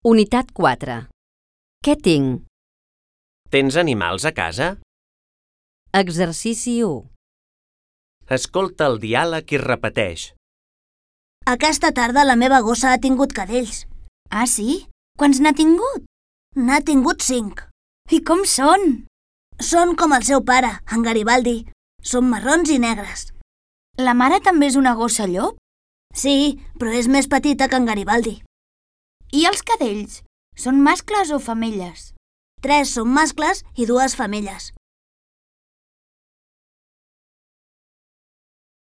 Unitat 4. Què tinc? Tens animals a casa? Exercici 1. Escolta el diàleg i repeteix. Aquesta tarda la meva gossa ha tingut cadells. Ah, sí? Quants n'ha tingut? N'ha tingut 5. I com són? Són com el seu pare, en Garibaldi. Són marrons i negres. La mare també és una gossa llop? Sí, però és més petita que en Garibaldi. I els cadells? Són mascles o femelles? 3 són mascles i 2 femelles.